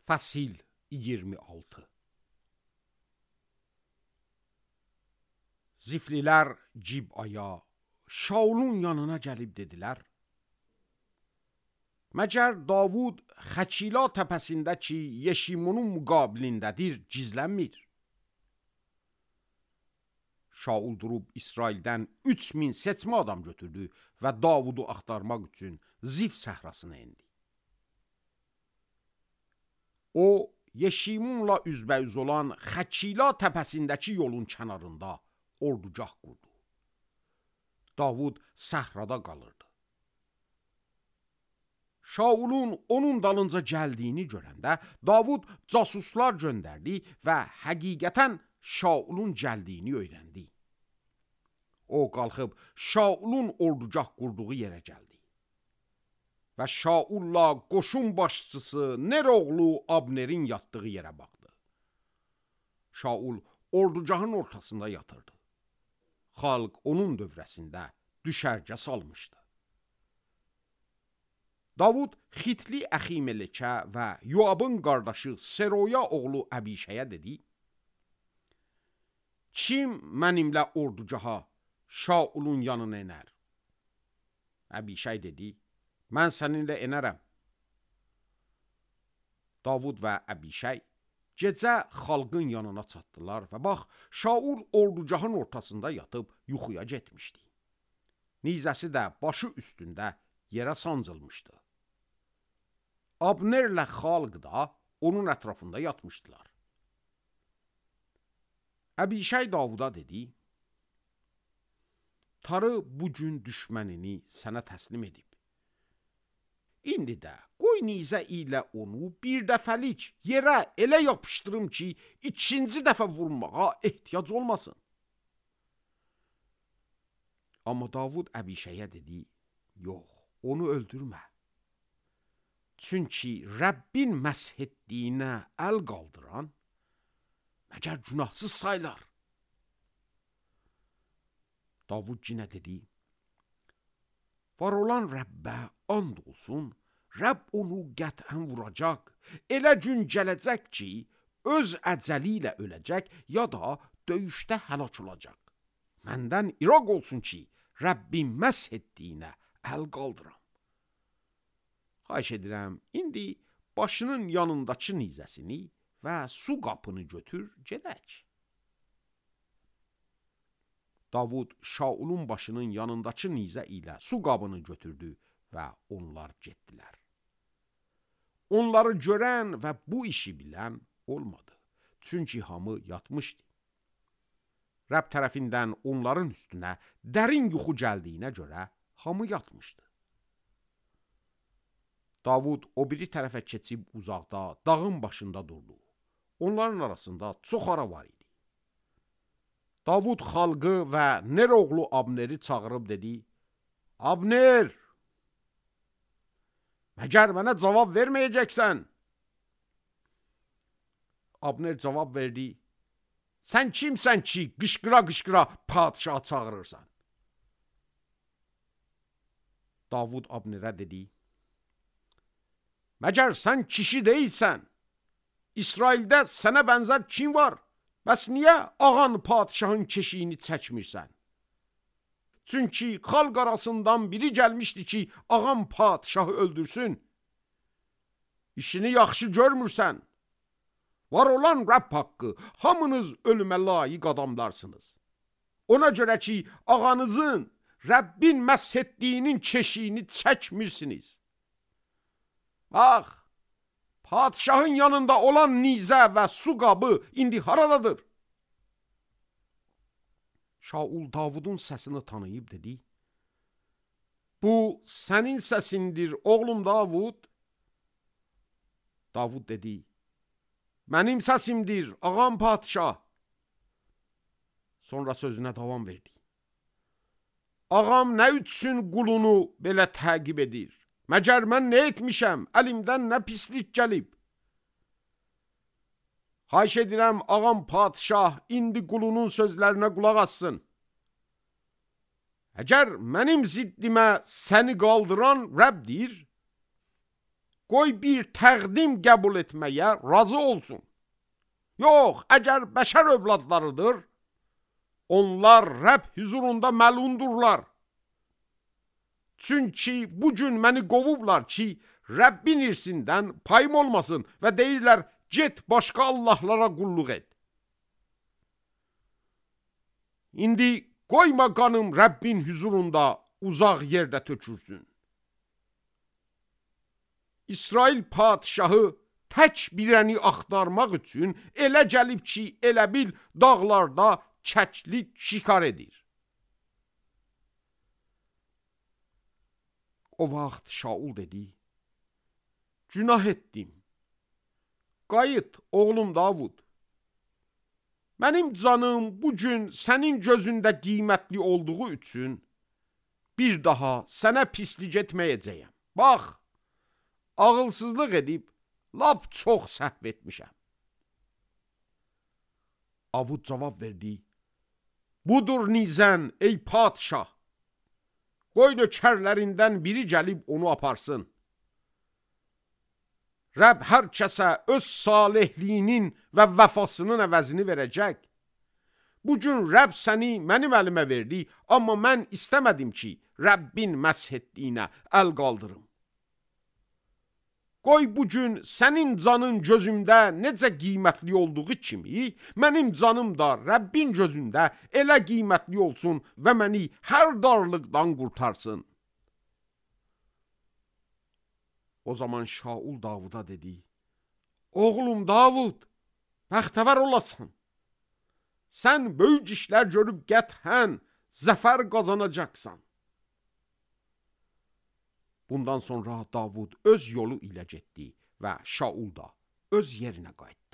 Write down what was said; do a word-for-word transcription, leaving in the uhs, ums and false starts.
Fəsil iyirmi altı. Ziflilər Cibaya, Şaulun yanına gəlib dedilər: Məcər Davud Xəçila təpəsindəki Yeşimonun müqabilindədir, gizlənmir. Şaul durub İsraildən üç min seçmə adam götürdü və Davudu axtarmaq üçün Zif səhrasına indi. O, Yeşimunla üzbəüz olan Xəçila təpəsindəki yolun kənarında ordugah qurdu. Davud səhrada qalırdı. Şaulun onun dalınca gəldiyini görəndə Davud casuslar göndərdi və həqiqətən Şaulun gəldiyini öyrəndi. O qalxıb Şaulun ordugah qurduğu yerə gəldi. Və Şaulla qoşun başçısı Ner oğlu Abnerin yatdığı yerə baxdı. Şaul ordugahın ortasında yatırdı. Xalq onun dövrəsində düşərgə salmışdı. Davud Xitli Əximelikə və Yoabın qardaşı Seroya oğlu Əbişəyə dedi: Kim mənimlə ordugaha Şaulun yanına enər? Əbişəy dedi: Mən səninlə enərəm. Davud və Əbişəy gecə xalqın yanına çatdılar və bax, Şaul ordugahın ortasında yatıb yuxuya getmişdi. Nizəsi də başı üstündə yerə sancılmışdı. Abnerlə xalq da onun ətrafında yatmışdılar. Əbişəy Davuda dedi: Tarı bugün düşmənini sənə təslim edib. İndi də qoy nizə ilə onu bir dəfəlik yerə elə yapışdırım ki, ikinci dəfə vurmağa ehtiyac olmasın. Amma Davud Əbişəyə dedi: Yox, onu öldürmə. Çünki Rəbbin məsh etdiyinə əl qaldıran məgər günahsız saylar. Davud yenə dedi: Var olan Rəbbə and olsun, Rəbb onu qətən vuracaq, elə gün gələcək ki, öz əcəli ilə öləcək, ya da döyüşdə həlak olacaq. Məndən iraq olsun ki, Rəbbin məsh etdiyinə əl qaldıram. Xahiş edirəm, indi başının yanındakı nizəsini və su qapını götür, gedək. Davud Şaulun başının yanındakı nizə ilə su qabını götürdü və onlar getdilər. Onları görən və bu işi bilən olmadı. Çünki hamı yatmışdı. Rəbb tərəfindən onların üstünə dərin yuxu gəldiyinə görə hamı yatmışdı. Davud o biri tərəfə keçib uzaqda, dağın başında durdu. Onların arasında çox ara var idi. Davud xalqı və Ner oğlu Abneri çağırıb dedi: Abner, məgər mənə cavab verməyəcəksən? Abner cavab verdi: Sən kimsən ki, qışqıra-qışqıra padişahı çağırırsan? Davud Abnerə dedi: Məgər sən kişi deyilsən? İsraildə sənə bənzər kim var? Bəs niyə ağan padişahın keşiyini çəkmirsən? Çünki xalq arasından biri gəlmişdi ki, ağam padişahı öldürsün. İşini yaxşı görmürsən. Var olan Rəbb haqqı, hamınız ölümə layiq adamlarsınız. Ona görə ki, ağanızın Rəbbin məsh etdiyinin keşiyini çəkmirsiniz. Bax, padişahın yanında olan nizə və su qabı indi haradadır? Şaul Davudun səsini tanıyıb dedi: Bu sənin səsindir, oğlum Davud. Davud dedi: Mənim səsimdir, ağam padişah. Sonra sözünə davam verdi: Ağam nə üçün qulunu belə təqib edir? Məgər mən nə etmişəm, əlimdən nə pislik gəlib? Xahiş edirəm, ağam padişah indi qulunun sözlərinə qulaq assın. Əgər mənim ziddimə səni qaldıran Rəbbdir, qoy bir təqdim qəbul etməyə razı olsun. Yox, əgər bəşər övladlarıdır, onlar Rəbb huzurunda məlundurlar. Çünki bu gün məni qovublar ki, Rəbbin irsindən payım olmasın və deyirlər, get başqa Allahlara qulluq et. İndi qoyma qanım Rəbbin huzurunda uzaq yerdə tökürsün. İsrail padişahı tək birəni axtarmaq üçün elə gəlib ki, elə bil dağlarda çəkli şikar edir. O vaxt Şaul dedi, günah etdim. Qayıt, oğlum Davud. Mənim canım bugün sənin gözündə qiymətli olduğu üçün bir daha sənə pislik etməyəcəyəm. Bax, ağılsızlıq edib, lap çox səhv etmişəm. Davud cavab verdi, budur nizən ey padişah. Qoy nökərlərindən biri gəlib onu aparsın. Rəbb hər kəsə öz salihliyinin və vəfasının əvəzini verəcək. Bugün Rəbb səni mənim əlimə verdi, amma mən istəmədim ki, Rəbbin məsh etdiyinə əl qaldırım. Qoy bugün sənin canın gözümdə necə qiymətli olduğu kimi, mənim canım da Rəbbin gözündə elə qiymətli olsun və məni hər darlıqdan qurtarsın. O zaman Şaul Davuda dedi, oğlum Davud, bəxtəvər olasan. Sən böyük işlər görüb qəthən zəfər qazanacaqsan. Bundan sonra Davud öz yolu ilə getdi və Şaul da öz yerinə qayıtdı.